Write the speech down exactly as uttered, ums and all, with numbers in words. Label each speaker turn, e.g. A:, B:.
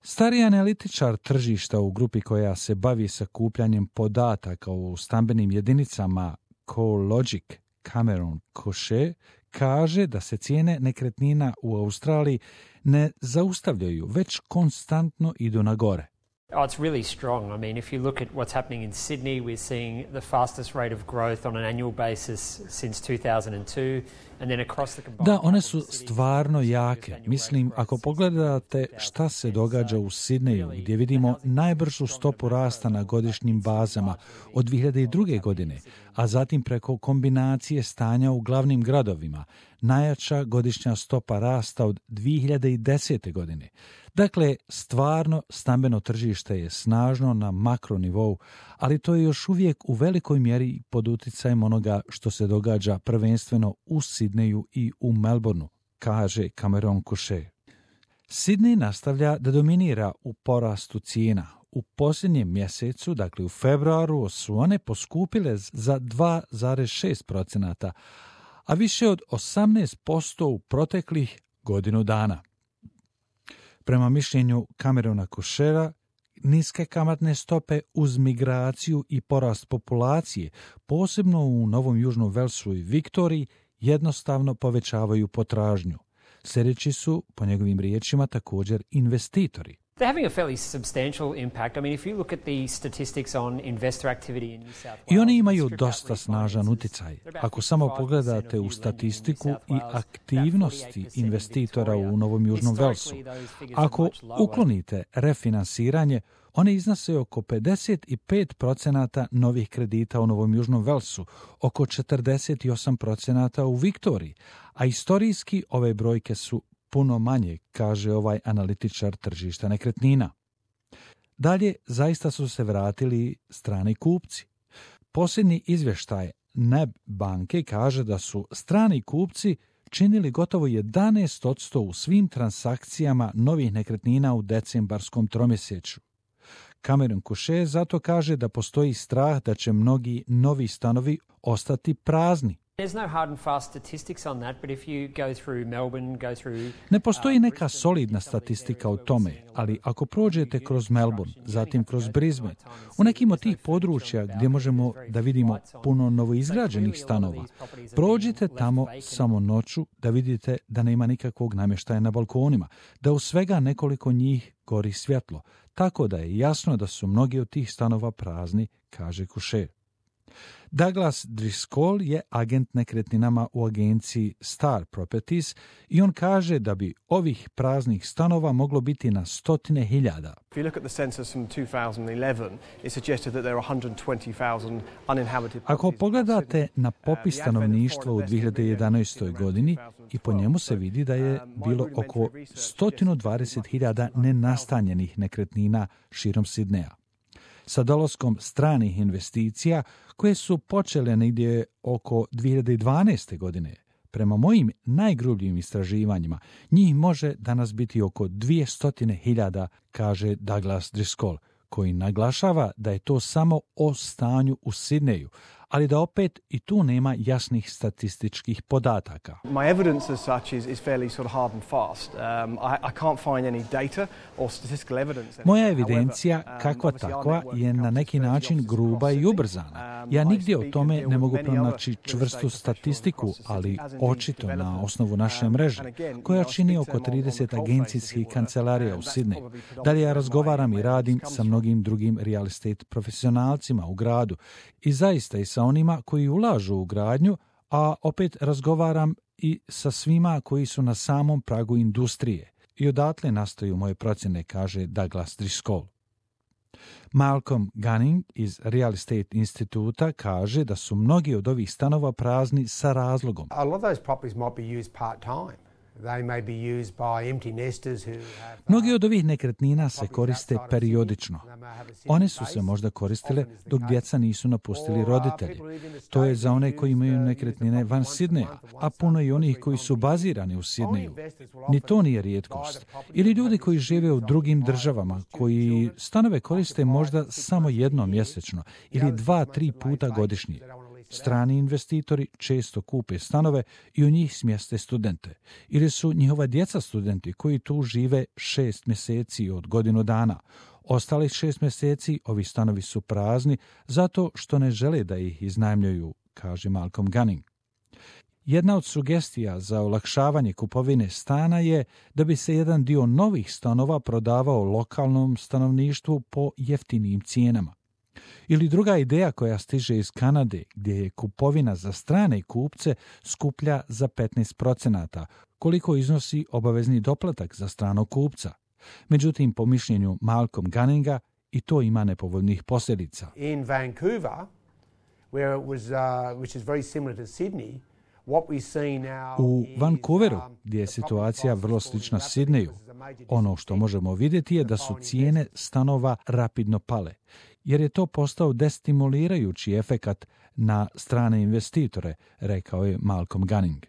A: Stari analitičar tržišta u grupi koja se bavi sakupljanjem podataka u stambenim jedinicama CoreLogic, Cameron Cochet, kaže da se cijene nekretnina u Australiji ne zaustavljaju, već konstantno idu na gore.
B: Oh, it's really strong. I mean, if you look at what's happening in Sydney, we're seeing the fastest rate of growth on an annual basis since two thousand two, and then across the combined...
A: Da, one su stvarno jake. Mislim, ako pogledate šta se događa u Sidneju, gdje vidimo najbržu stopu rasta na godišnjim bazama od dvije hiljade druge. godine, a zatim preko kombinacije stanja u glavnim gradovima, najjača godišnja stopa rasta od dvije hiljade desete. godine. Dakle, stvarno stambeno tržište je snažno na makronivou, ali to je još uvijek u velikoj mjeri pod uticajem onoga što se događa prvenstveno u Sidneju i u Melbourneu, kaže Cameron Cochet. Sidney nastavlja da dominira u porastu cijena. U posljednjem mjesecu, dakle u februaru, su one poskupile za dva zarez šest posto, a više od osamnaest posto u proteklih godinu dana. Prema mišljenju Camerona Cocheta, niske kamatne stope uz migraciju i porast populacije, posebno u Novom Južnom Velsu i Viktoriji, jednostavno povećavaju potražnju. Sljedeći su, po njegovim riječima, također investitori.
B: They're having a fairly substantial impact. I mean, if you look at the statistics on investor activity in New South Wales...
A: I oni imaju dosta snažan uticaj. Ako samo pogledate u statistiku i aktivnosti investitora u Novom Južnom Velsu, ako uklonite refinansiranje, one iznose oko pedeset pet posto novih kredita u Novom Južnom Velsu, oko četrdeset osam posto u Viktoriji, a istorijski ove brojke su puno manje, kaže ovaj analitičar tržišta nekretnina. Dalje, zaista su se vratili strani kupci. Posljednji izvještaj N A B banke kaže da su strani kupci činili gotovo jedanaest posto u svim transakcijama novih nekretnina u decembarskom tromjesečju. Cameron Cochet zato kaže da postoji strah da će mnogi novi stanovi ostati prazni. Ne postoji neka solidna statistika o tome, ali ako prođete kroz Melbourne, zatim kroz Brisbane, u nekim od tih područja gdje možemo da vidimo puno novoizgrađenih stanova, prođite tamo samo noću da vidite da nema nikakvog namještaja na balkonima, da u svega nekoliko njih gori svjetlo, tako da je jasno da su mnogi od tih stanova prazni, kaže Cochet. Douglas Driscoll je agent nekretninama u agenciji Star Properties i on kaže da bi ovih praznih stanova moglo biti na stotine hiljada. Ako pogledate na popis stanovništva u dvije hiljade jedanaestoj. godini, i po njemu se vidi da je bilo oko sto dvadeset hiljada nenastanjenih nekretnina širom Sidneja. Sa dolaskom stranih investicija koje su počele negdje oko dvije hiljade dvanaeste. godine, prema mojim najgrubljim istraživanjima, njih može danas biti oko dvjesto hiljada, kaže Douglas Driscoll, koji naglašava da je to samo o stanju u Sidneju, ali da opet i tu nema jasnih statističkih podataka.
C: My evidence as such is, is fairly sort of hard and fast. Um, I, I can't find any data or statistical evidence.
A: Moja evidencija, kakva takva, je na neki način gruba i ubrzana. Ja nigdje o tome ne mogu pronaći čvrstu statistiku, ali očito na osnovu naše mreže, koja čini oko trideset agencijskih kancelarija u Sidneju. Dalje ja razgovaram i radim sa mnogim drugim real estate profesionalcima u gradu i zaista i sa onima koji ulažu u gradnju, a opet razgovaram i sa svima koji su na samom pragu industrije. I odatle nastaju moje procjene, kaže Douglas Driscoll. Malcolm Gunning iz Real Estate instituta kaže da su mnogi od ovih stanova prazni sa razlogom.
D: A lot of those properties might be used part-time. They may be used by empty nesters who have...
A: Mnogi od ovih nekretnina se koriste periodično. One su se možda koristile dok djeca nisu napustili roditelji. To je za one koji imaju nekretnine van Sidneja, a puno i onih koji su bazirani u Sidneju. Ni to nije rijetkost. Ili ljudi koji žive u drugim državama, koji stanove koriste možda samo jednom mjesečno ili dva, tri puta godišnje. Strani investitori često kupe stanove i u njih smjeste studente. Ili su njihova djeca studenti koji tu žive šest mjeseci od godinu dana. Ostalih šest mjeseci ovi stanovi su prazni zato što ne žele da ih iznajmljuju, kaže Malcolm Gunning. Jedna od sugestija za olakšavanje kupovine stana je da bi se jedan dio novih stanova prodavao lokalnom stanovništvu po jeftinijim cijenama. Ili druga ideja koja stiže iz Kanade, gdje je kupovina za strane kupce skuplja za petnaest procenata, koliko iznosi obavezni doplatak za stranog kupca. Međutim, po mišljenju Malcolm Gunninga, i to ima nepovoljnih posljedica.
D: In Vancouver, where it was, uh, which is very similar to Sydney,
A: u Vancouveru, gdje je situacija vrlo slična Sidneju, ono što možemo vidjeti je da su cijene stanova rapidno pale, jer je to postao destimulirajući efekat na strane investitore, rekao je Malcolm Gunning.